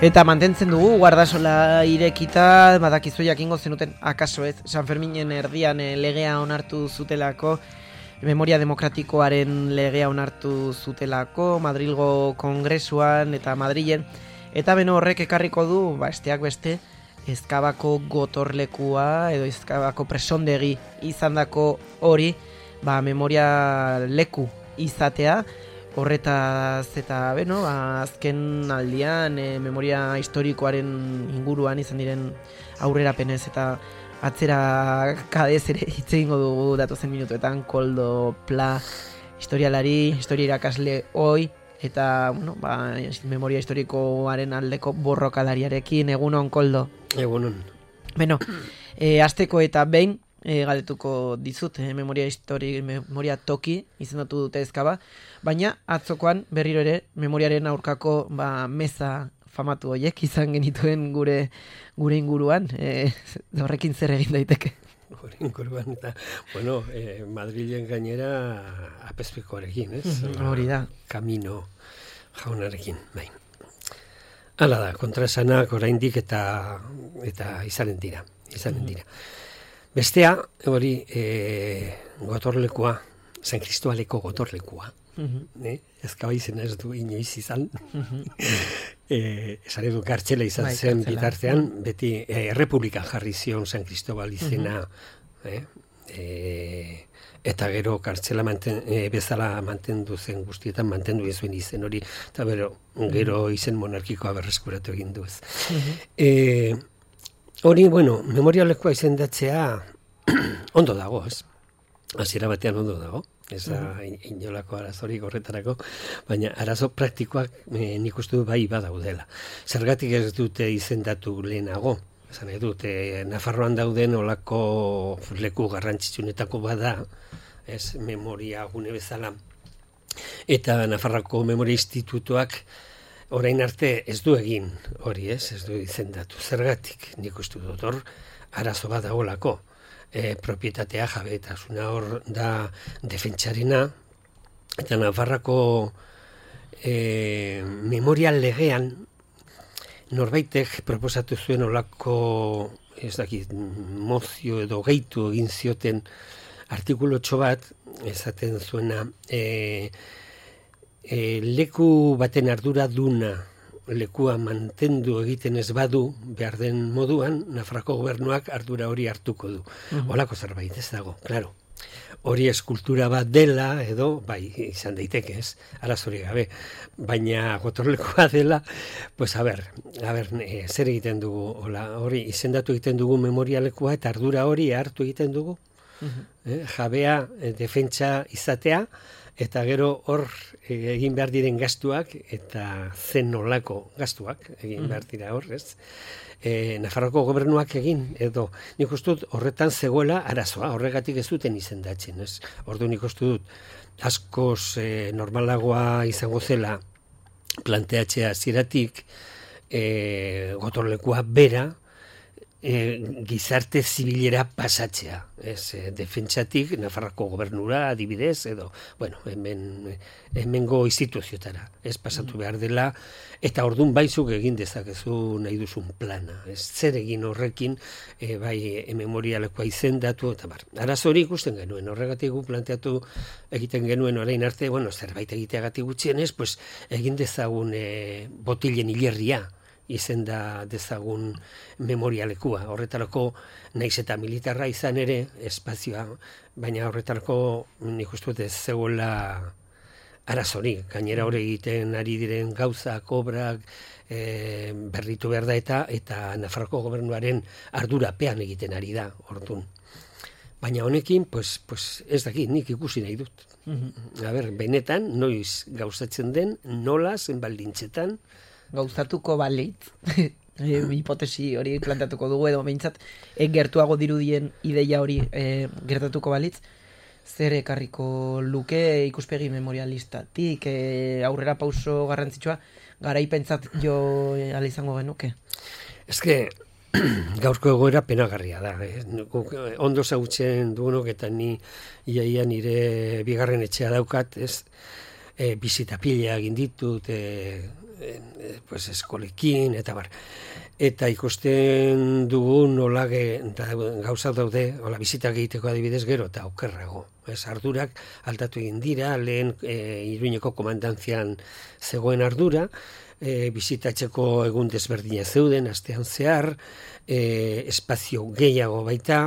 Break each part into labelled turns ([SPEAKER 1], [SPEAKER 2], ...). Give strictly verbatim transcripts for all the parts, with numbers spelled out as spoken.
[SPEAKER 1] Eta mantentzen dugu Guardasola irekita, badakizu jakingo zenuten akaso ez, San Ferminen erdian e, legea onartu zutelako, memoria demokratikoaren legea onartu zutelako, Madrilgo Kongresuan eta Madrilen, eta beno horrek ekarriko du, ba, esteak beste, Ezkabako gotorlekua edo Ezkabako presondegi izandako hori, ba, memoria leku izatea, horretaz eta beno, azken aldian e, memoria historikoaren inguruan izan diren aurrerapenez eta atzera kadez ere hitz egingo dugu datozen minutuetan. Koldo Pla, historialari, historia irakasle oi, eta bueno, ba, memoria historikoaren aldeko borrokalariarekin. Egunon, Koldo?
[SPEAKER 2] Egunon.
[SPEAKER 1] Beno, e, azteko eta behin, E, galdetuko dizut, eh, memoria histori, memoria toki izendatu dute Ezkaba, baina atzokoan berriro ere memoriaren aurkako ba, meza famatu horiek izan genituen gure gure inguruan, e, horrekin zer egin daiteke?
[SPEAKER 2] Gure inguruan eta, bueno, eh, Madrilen gainera apezpikoarekin, ez?
[SPEAKER 1] Hori da.
[SPEAKER 2] Camino jaunarekin, bai. Hala da, kontraesanak oraindik eta eta izanen dira, izanen dira. Bestea, hori, e, gotorlekua, San Kristobaleko gotorlekua. Uh-huh. eh? Ezkaba izena ez du inoiz izan. Uh-huh. e, esan edu kartxela izan bai, zen kartzela. Bitartean, beti e, Errepublikan jarri zion San Kristobal izena. Uh-huh. eh? E, eta gero kartxela manten, e, bezala mantendu zen guztietan, mantendu ez zuen izen hori, eta bero, gero izen monarkikoa berreskuratu egin du ez. Uh-huh. E, Hori, bueno, memorialekoa izendatzea ondo dago, ez? Hasiera batean ondo dago, ez da inolako arazorik horretarako, baina arazo praktikoak e, nik uste du bai badaudela. Zergatik ez dute izendatu lehenago, esan nahi dute, Nafarroan dauden olako leku garrantzitsunetako bada, ez, memoria gune bezala, eta Nafarroko Memoria Institutuak orain arte ez du egin hori, ez, ez du izendatu. Zergatik, nik uste dut hor, arazo bat dagoelako. E, propietatea jabetasuna hor da defentsarena, eta Nafarrako e, memorial legean norbaitek proposatu zuen olako, ez dakit, mozio edo gehitu egin zioten artikulotxo bat, esaten zuena, e, E, leku baten ardura duna lekua mantendu egiten ez badu behar den moduan, Nafarroko gobernuak ardura hori hartuko du. Uh-huh. Olako zerbait ez dago, claro. Hori eskultura bat dela edo, bai, izan daiteke ez, arazori gabe, baina gotorlekoa dela, pues a ber, a ber, e, zer egiten dugu, hola, hori izendatu egiten dugu memorialekua eta ardura hori hartu egiten dugu, uh-huh. eh, jabea, e, defentsa izatea, eta gero hor egin behar diren gastuak eta zen nolako gastuak egin behar dira hor, ez? E, Nafarroko gobernuak egin, edo nik uste dut horretan zegoela arazoa, horregatik ez duten izendatzen, ez? Ordu nik uste dut askoz e, normalagoa izango zela planteatzea ziratik e, gotorlekua bera, E, gizarte zibilera pasatzea, ez, e, defentsatik Nafarroko gobernura adibidez, edo, bueno, hemen, hemengo instituziotara, ez pasatu behar dela, eta ordun baizuk egin dezakezu nahi duzun plana, ez, zer egin horrekin, e, bai, e, memorialekoa izendatu, eta bar, arazo hori ikusten genuen, horregatik gu planteatu egiten genuen orain arte, bueno, zerbait egiteagatik gutxienez, pues, egin dezagun e, botilen hilerria, izenda dezagun memorialekua. Horretarako, naiz eta militarra izan ere, espazioa, baina horretarako nik uste dut ez zegoela arazorik. Gainera hori egiten ari diren gauzak, obrak, e, berritu behar da eta eta Nafarroko gobernuaren ardurapean egiten ari da, orduan. Baina honekin, pues, pues ez dakit, nik ikusi nahi dut. Mm-hmm. A ber, benetan, noiz gauzatzen den, nola, zenbaldintzetan.
[SPEAKER 1] Gauzatuko balitz, e, hipotesi hori planteatuko dugu edo behintzat, e, gertuago dirudien ideia hori e, gertatuko balitz, zer ekarriko luke ikuspegi memorialistatik, e, aurrera pauso garrantzitsua, garaipentzat jo e, ala izango genuke?
[SPEAKER 2] Ez que, gaurko egoera penagarria da. Eh? Ondo zautzen dugunok eta ni iaia nire bigarren etxea daukat, ez, e, bizita pila egin ditut, e, e, pues eskolekin, eta bar. Eta ikusten dugu nola ge, da, gauza daude, hola bizitak egiteko adibidez gero, eta okerrago. Ez, ardurak aldatu egin dira, lehen e, Iruñeko komandantzian zegoen ardura, E, bizitatzeko egun desberdina zeuden, astean zehar, e, espazio gehiago baita,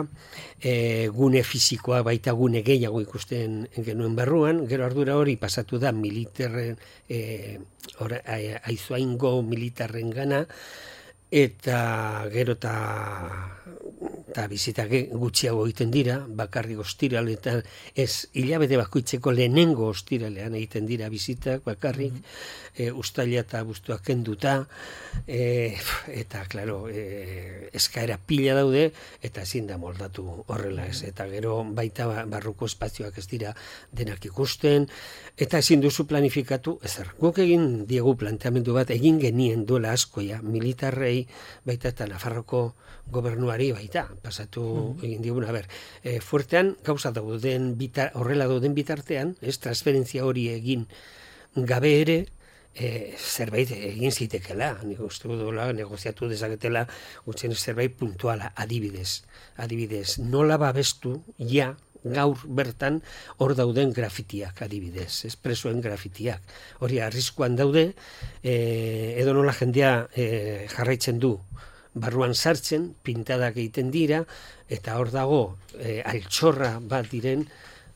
[SPEAKER 2] e, gune fisikoa baita gune gehiago ikusten genuen barruan, gero ardura hori pasatu da militarren, e, aizuaingo militarren gana, eta gero eta eta bizitak gutxiago egiten dira, bakarrik ostiraletan, ez hilabete bakoitzeko lehenengo ostiralean egiten dira bizitak, bakarrik, mm-hmm. e, ustaila eta abuztua kenduta, e, eta, klaro, e, eskaera pila daude, eta ezin da moldatu horrela ez, eta gero baita barruko espazioak ez dira denak ikusten, eta ezin duzu planifikatu, ezer, guk egin diegu planteamendu bat, egin genien duela askoia, militarrei, baita eta Nafarroko gobernuari baita, pasatu mm-hmm. egin diguna, ber, e, fuertean gauza dauden bitar, horrela dauden bitartean, ez, transferentzia hori egin gabe ere, e, zerbait egin zitekela, nik uste duela, negoziatu dezaketela, gutzen zerbait puntuala, adibidez, adibidez, nola babestu, ja, gaur bertan hor dauden grafitiak adibidez, espresoen grafitiak. Hori arriskuan daude, e, edo nola jendea e, jarraitzen du barruan sartzen, pintadak egiten dira, eta hor dago e, altxorra bat diren,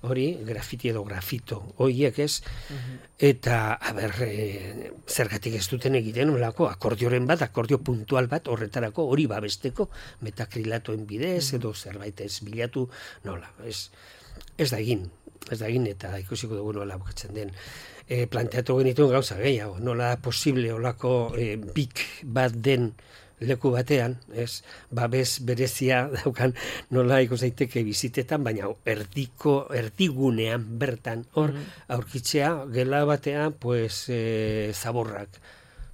[SPEAKER 2] hori grafiti edo grafito, horiek ez, uh-huh. eta, a ber, e, zergatik ez duten egiten, olako, akordioren bat, akordio puntual bat, horretarako, hori babesteko, metakrilatoen bidez, uh-huh. edo zerbait ez bilatu, nola, ez, ez da egin, ez da egin, eta ikusiko dugu nola bukatzen den. E, planteatu genituen gauza gehiago, nola posible olako e, bik bat den leku batean, ez, babes berezia daukan nola ikus daiteke bizitetan, baina erdiko, erdigunean bertan, hor, aurkitzea, gela batean, pues, e, zaborrak,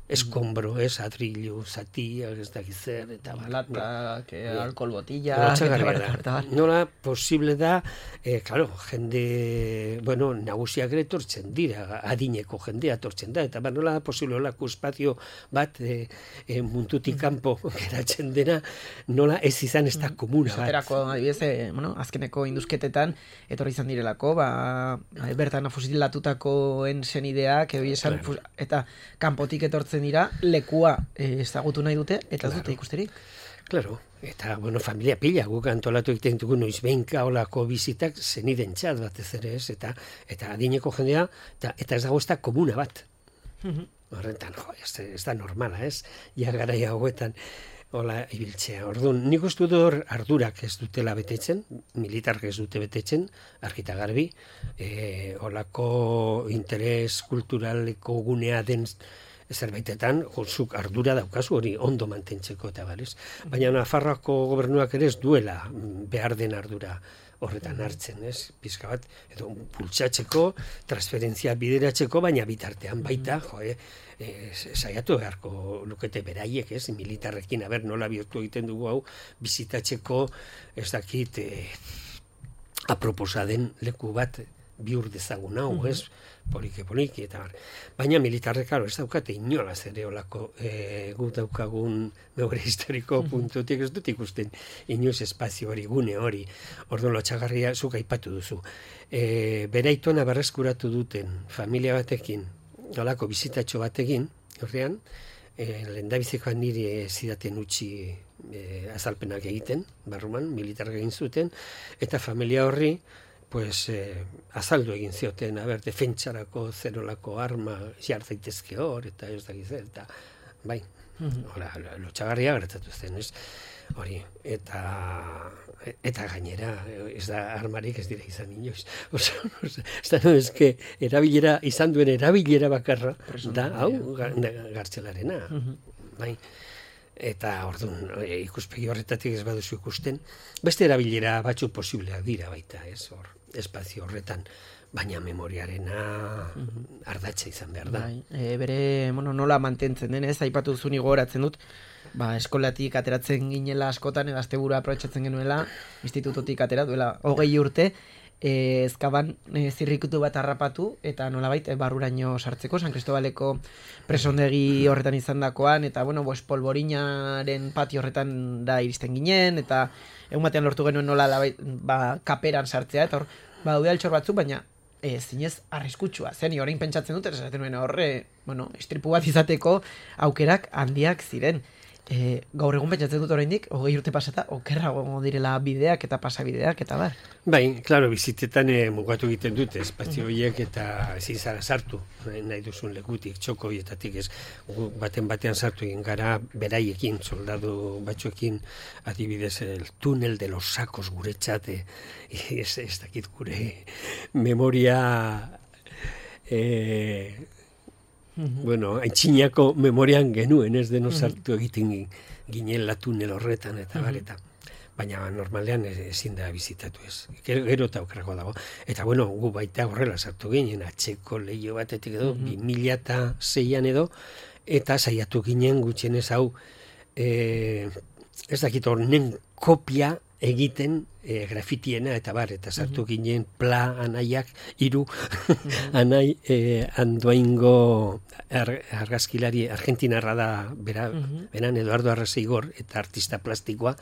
[SPEAKER 2] eskombro, ez, adrillu, zati, ez dakiz zer, eta
[SPEAKER 1] latak, eh, alkohol botilla,
[SPEAKER 2] eta nola posible da, eh, claro, jende, bueno, nagusiak ere tortzen dira, adineko jendea tortzen da, eta nola posible olako espazio bat eh, eh, mundutik kanpo geratzen dena, nola ez izan ez da komuna bat.
[SPEAKER 1] Zaterako, adibidez, eh, bueno, azkeneko induzketetan, etorri izan direlako, ba, bertan fusilatutakoen senideak, edo esan, claro. Eta kanpotik etortzen dira, lekua eh, ezagutu nahi dute, eta ez claro. Dute ikusterik.
[SPEAKER 2] Claro, eta, bueno, familia pila, guk antolatu egiten dugu noiz behinka olako bizitak zeniden txat batez ere ez, eta, eta adineko jendea, eta, eta ez dago ez da komuna bat. Mm-hmm. Horretan, jo, ez, ez da normala, ez? Ja garaia hauetan, hola ibiltzea. Orduan, nik uste dut hor ardurak ez dutela betetzen, militark ez dute betetzen, argita garbi, e, olako interes kulturaleko gunea den zerbaitetan, zuk ardura daukazu hori ondo mantentzeko eta barez. Baina Nafarroako gobernuak ere ez duela behar den ardura horretan hartzen, ez? Pizka bat, edo pultsatzeko, transferentzia bideratzeko, baina bitartean baita, jo, eh, eh, saiatu beharko lukete beraiek, ez? Militarrekin, aber, nola bihurtu egiten dugu hau, bizitatzeko, ez dakit, eh, aproposa den leku bat bihur dezagun hau, ez? Poliki, poliki, eta bar. Baina militarrek, karo, ez daukate inolaz ere olako e, gu daukagun memoria historiko puntutik ez dut ikusten inoiz espazio hori, gune hori. Orduan lotxagarria zuk aipatu duzu. E, Beraitona berreskuratu duten familia batekin, olako bizitatxo batekin, horrean, e, lehendabizikoan niri zidaten utzi e, azalpenak egiten, barruman, militarrek egin zuten, eta familia horri, pues, eh, azaldu egin zioten, a ber, defentsarako zerolako arma jar daitezke hor, eta ez dakiz, eta bai. Hora, lotxagarria gertatu zen, ez? Hori, eta eta gainera, ez da armarik ez dira izan inoiz. Oso, ez da, no, ez que erabilera, izan duen erabilera bakarra, da, hau, gartzelarena, bai. Eta, orduan, ikuspegi horretatik ez baduzu ikusten, beste erabilera batzu posibleak dira baita, ez, hor, espazio horretan, baina memoriarena ardatza izan behar da.
[SPEAKER 1] Bai, e, bere, bueno, nola mantentzen den, ez, aipatu zuni gogoratzen dut, ba, eskolatik ateratzen ginela askotan, edo astebura aprobetxatzen genuela, institutotik atera duela hogei urte, e, ezkaban e, zirrikutu bat harrapatu, eta nolabait e, barruraino sartzeko, San Cristobaleko presondegi horretan izan dakoan, eta, bueno, pues, polvorinaren patio horretan da iristen ginen, eta egun batean lortu genuen nola labait, ba, kaperan sartzea, eta hor, ba, daude altxor batzuk, baina e, zinez arriskutsua. Zeni, orain pentsatzen dut, esaten nuen horre, bueno, istripu bat izateko aukerak handiak ziren. E, gaur egun pentsatzen dut oraindik, hogei urte pasata, okerrago direla bideak eta pasabideak eta bar.
[SPEAKER 2] Bai, klaro, bizitetan e, mugatu egiten dute, espazio horiek eta ezin zara sartu, nahi duzun lekutik, txoko horietatik ez, baten batean sartu egin gara, beraiekin, soldadu batzuekin, adibidez, el túnel de los sacos guretzat, e, ez, ez dakit gure memoria... E, bueno, aintzinako memorian genuen ez deno sartu egiten ginen la tunel horretan eta bareta. Baina normalean ezin da bizitatu ez. Gero eta okerrago dago. Eta bueno, gu baita horrela sartu ginen, atxeko leio batetik edo, bi mila seian edo, eta saiatu ginen gutxienez hau, e, ez dakit horren kopia egiten e, grafitiena eta bar, eta sartu ginen pla anaiak hiru anai e, Andoaingo ar, argazkilari argentinarra da bera, beran Eduardo Arraseigor eta artista plastikoa,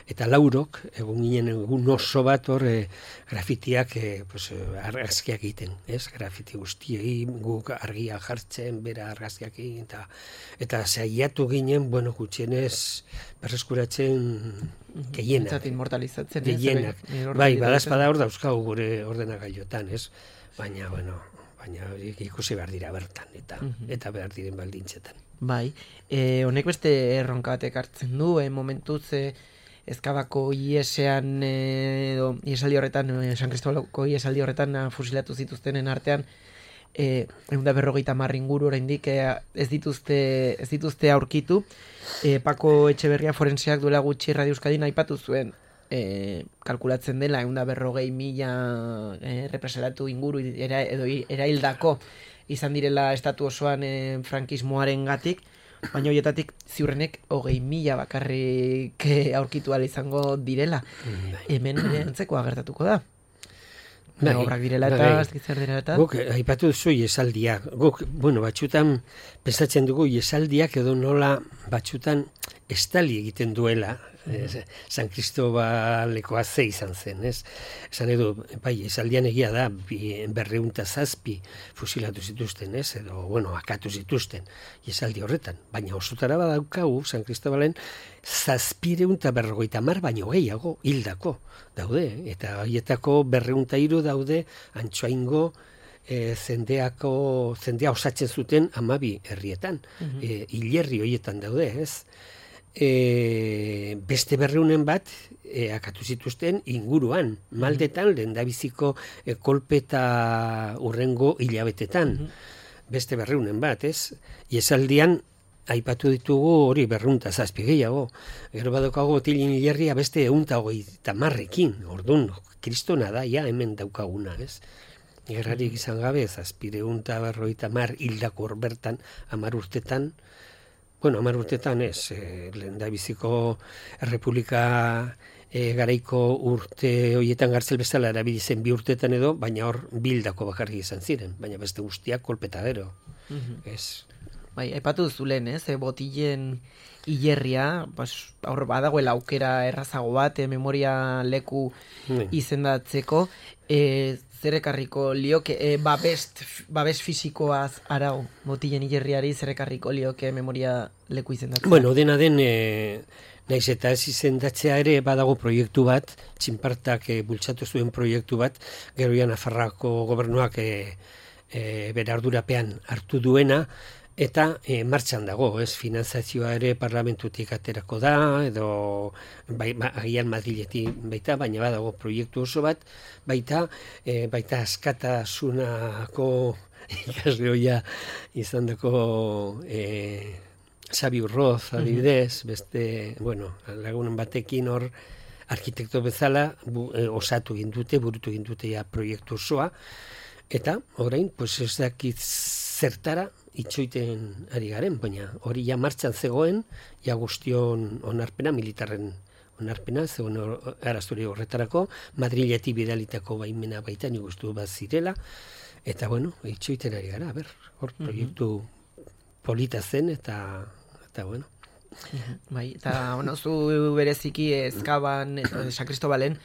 [SPEAKER 2] eta laurok egun ginen egun oso bat hor e, grafitiak e, pues, argazkiak egiten, ez? Grafiti guztiei guk argia jartzen, bera argazkiak egin, eta, eta saiatu ginen, bueno, gutxienez berreskuratzen gehienak.
[SPEAKER 1] Entzat inmortalizatzen.
[SPEAKER 2] Gehienak. Bai, badazpada hor dauzkagu gure ordenagailotan, ez? Baina, bueno, baina ikusi behar dira bertan, eta eta behar diren baldintzetan.
[SPEAKER 1] Bai, e, honek beste erronka batek hartzen du, e, momentuz e, Ezkabako iesean, e, edo iesaldi horretan, e, San Cristobaleko iesaldi horretan fusilatu zituztenen artean, eh ehun eta berrogeita hamar inguru oraindik eh, ez dituzte ez dituzte aurkitu. Eh, Pako Etxeberria forenseak duela gutxi Radio Euskadin aipatu zuen, eh, kalkulatzen dela ehun eta berrogei mila eh, represalatu inguru era, edo eraildako izan direla estatu osoan eh, frankismoarengatik, baina horietatik ziurrenek hogei mila bakarrik eh, aurkitu ahal izango direla. Hemen antzekoa gertatuko da. Bai, obrak direla eta, zer direla eta.
[SPEAKER 2] Guk, aipatu duzu iesaldia. Guk, bueno, batxutan, pensatzen dugu iesaldiak edo nola batxutan estali egiten duela. Mm. San Cristobalekoa ze izan zen, ez? Esan edo, bai, esaldian egia da, berreunta zazpi fusilatu zituzten, ez? Edo, bueno, akatu zituzten, esaldi horretan. Baina osotara badaukagu, San Cristobalen, zazpireunta berrogeita mar baino gehiago hildako daude. Eta haietako berreunta hiru daude Antsoaingo e, zendeako, zendea osatzen zuten hamabi herrietan. Mm-hmm. e, hilerri horietan daude, ez? E, beste berreunen bat e, akatu zituzten inguruan, maldetan, lehendabiziko e, kolpeta urrengo hilabetetan. Mm-hmm. Beste berreunen bat, ez? Iesaldian aipatu ditugu hori berrunta zazpi gehiago. Gero badokago Otilin hilerria beste ehunta hogeita marrekin. Ordun, kristona da, ja, hemen daukaguna, ez? Gerrarik izan gabe, zazpireunta berrogeita mar hildako hor bertan, hamar urtetan, bueno, hamar urtetan ez, eh, lehendabiziko Errepublika eh, garaiko urte horietan gartzel bezala erabili zen bi urtetan edo, baina hor bildako bakarrik izan ziren, baina beste guztiak kolpetadero. Mm-hmm. Ez.
[SPEAKER 1] Bai, aipatu zulen, ez, e, botilen hilerria, pues, hor badagoela aukera errazago bat, e, memoria leku mm. izendatzeko, e, zer ekarriko lioke, e, babest, babes fisikoaz arau botilen hilerriari zer ekarriko lioke memoria leku izendatzea?
[SPEAKER 2] Bueno, dena den, e, naiz eta ez izendatzea ere badago proiektu bat, Txinpartak e, bultzatu zuen proiektu bat, gero ja Nafarroako gobernuak e, e, bere ardurapean hartu duena, eta e, martxan dago, ez, finanzazioa ere parlamentutik aterako da, edo bai, ba, agian Madriletik baita, baina badago proiektu oso bat, baita, e, baita askatasunako ikasleoia izan dako e, Xabi Urroz adibidez, beste, bueno, lagunen batekin hor arkitekto bezala bu, e, osatu gindute, burutu gindute ja proiektu osoa, eta orain, pues ez dakit zertara itxoiten ari garen, baina hori ja martxan zegoen, ja guztion onarpena, militarren onarpena, zegoen arazturi horretarako, Madriletik bidalitako baimena baita nik uste bat zirela, eta bueno, itxoiten ari gara, ber, hor proiektu polita zen, eta, eta bueno.
[SPEAKER 1] Bai, eta bueno, zu bereziki Ezkaban, San Cristobalen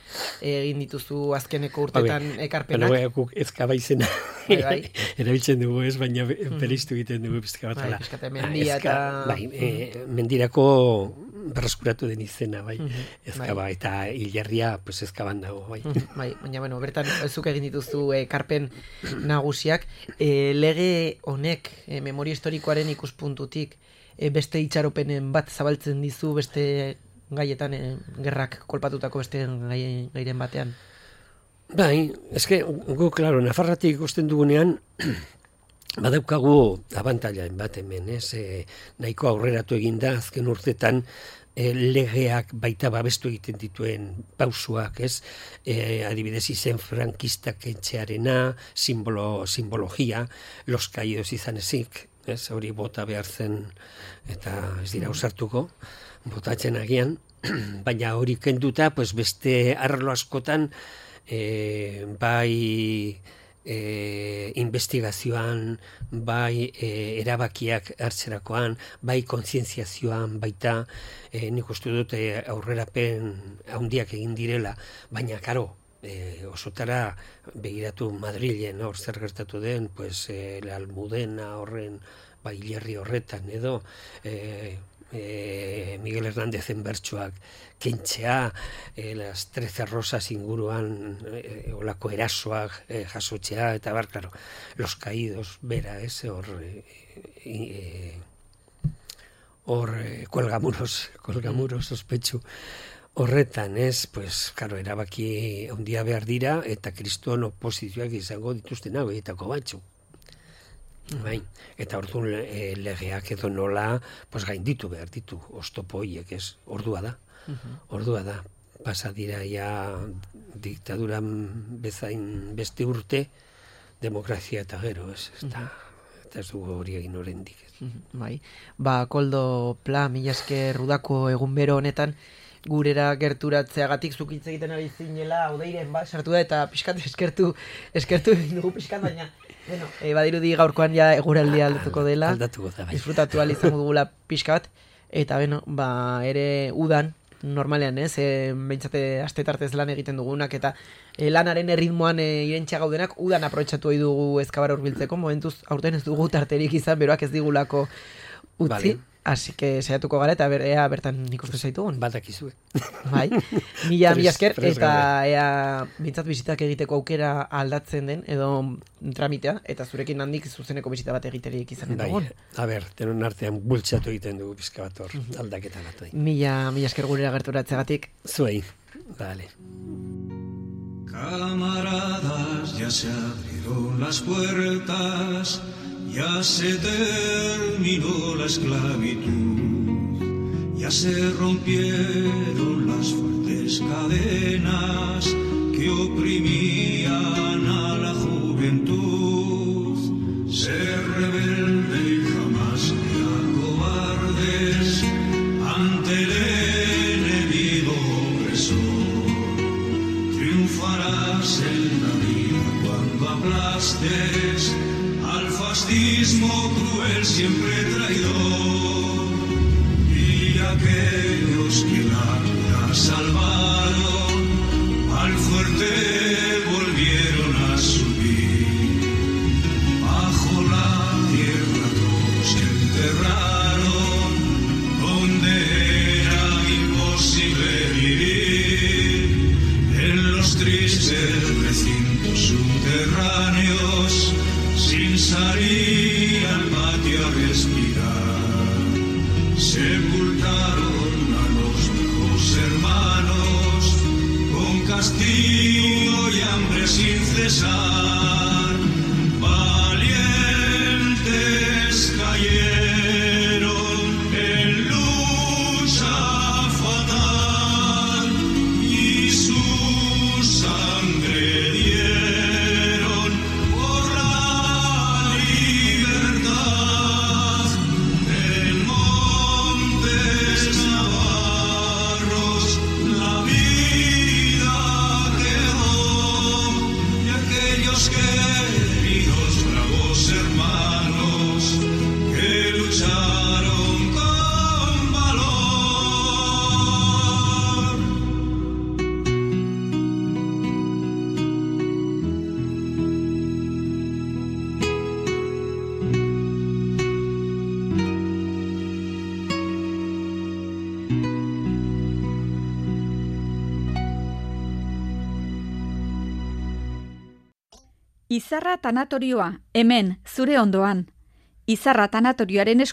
[SPEAKER 1] egin dituzu azkeneko urtetan ekarpenak.
[SPEAKER 2] Baina guk Ezkaba izena bai, bai. erabiltzen dugu ez, baina bereiztu egiten dugu pizka bat.
[SPEAKER 1] Bai, pizkate mendia eta...
[SPEAKER 2] Bai, e, mendirako berreskuratu den izena, bai, Ezkaba, bai. Eta hilerria pues, Ezkaban dago, bai.
[SPEAKER 1] Bai, baina bueno, bertan zuk egin dituzu ekarpen nagusiak. E, lege honek, e, memoria historikoaren ikuspuntutik, E, beste itxaropenen bat zabaltzen dizu beste gaietan, e, gerrak kolpatutako beste gai, gairen batean?
[SPEAKER 2] Bai, eske, gu, klaro, Nafarratik ikusten dugunean, badaukagu abantailaen bat hemen, ez, e, nahiko aurreratu eginda azken urtetan, e, legeak baita babestu egiten dituen pausuak, ez, e, adibidez izen frankistak etxearena, simbolo, simbologia, los caídos izan ezik, ez, hori bota behar zen, eta ez dira usartuko, botatzen agian, baina hori kenduta, pues beste arlo askotan, e, bai e, investigazioan, bai e, erabakiak hartzerakoan, bai kontzientziazioan, baita, e, nik uste dut e, aurrerapen handiak egin direla, baina karo, E, osotara begiratu Madrilen hor zer gertatu den, pues, e, la Almudena horren bai hilerri horretan edo e, e, Miguel Hernández bertsoak kentzea, e, las trece rosas inguruan e, olako erasoak e, jasotzea, eta bar, claro, los caídos bera, ez, hor e, e, hor e, kuelgamuros, kuelgamuros ospetsu horretan, ez, pues, karo, erabaki handia behar dira, eta kriston oposizioak izango dituzten hauetako batzu. Bai, eta orduan e, legeak edo nola, pues, gainditu behar ditu, oztopo horiek, ez, ordua da, ordua da. Pasa dira ja diktaduran bezain beste urte, demokrazia eta gero, ez, eta, eta ez dugu hori egin oraindik.
[SPEAKER 1] Bai, ba, Koldo Pla, mila esker udako egun bero honetan, gurera gerturatzeagatik zuk hitz egiten ari zinela, Odeiren ba, sartu da, eta pixkat eskertu, eskertu dugu pixkat, baina, bueno, e, badirudi gaurkoan ja eguraldia aldatuko dela,
[SPEAKER 2] aldatuko da, bai.
[SPEAKER 1] Disfrutatu ahal izango dugula pixkat, eta beno, ba, ere udan, normalean, ez, e, behintzate astetartez lan egiten dugunak, eta e, lanaren erritmoan e, irentxa gaudenak, udan aprobetxatu ohi dugu Ezkabar hurbiltzeko, momentuz, aurten ez dugu tarterik izan, beroak ez digulako utzi, vale. Así que saiatuko gara eta ber, ea bertan ikusten zaitugun.
[SPEAKER 2] Badakizue.
[SPEAKER 1] Bai. Mila mila esker eta ea bintzat bizitak egiteko aukera aldatzen den edo tramitea eta zurekin handik zuzeneko bizita bat egiterik izan dugun.
[SPEAKER 2] Bai. A ber, denon artean bultzatu egiten dugu pizka bat hor, aldaketa bat.
[SPEAKER 1] Mila mila esker gurera gerturatzeagatik.
[SPEAKER 2] Zuei. Vale.
[SPEAKER 3] Camaradas, ya se abrieron las puertas. Ya se terminó la esclavitud, ya se rompieron las fuertes cadenas que oprimían a la juventud. Ser rebelde y jamás sea cobardes ante el enemigo opresor. Triunfarás en la vida cuando aplastes al fascismo cruel siempre traidor, y aquellos que la vida salvaron al fuerte volvieron a subir. Bajo la tierra todos se enterraron, donde era imposible vivir, en los tristes recintos subterráneos, sin salir al patio a respirar. castigo y hambre sin cesar, valientes cayeron en lucha fatal y su sangre dieron por la libertad. En montes navarros la vida quedó y aquellos queridos bravos hermanos que lucharon con valor.
[SPEAKER 4] Izarra tanatorioa, hemen, zure ondoan. Izarra tanatorioaren esku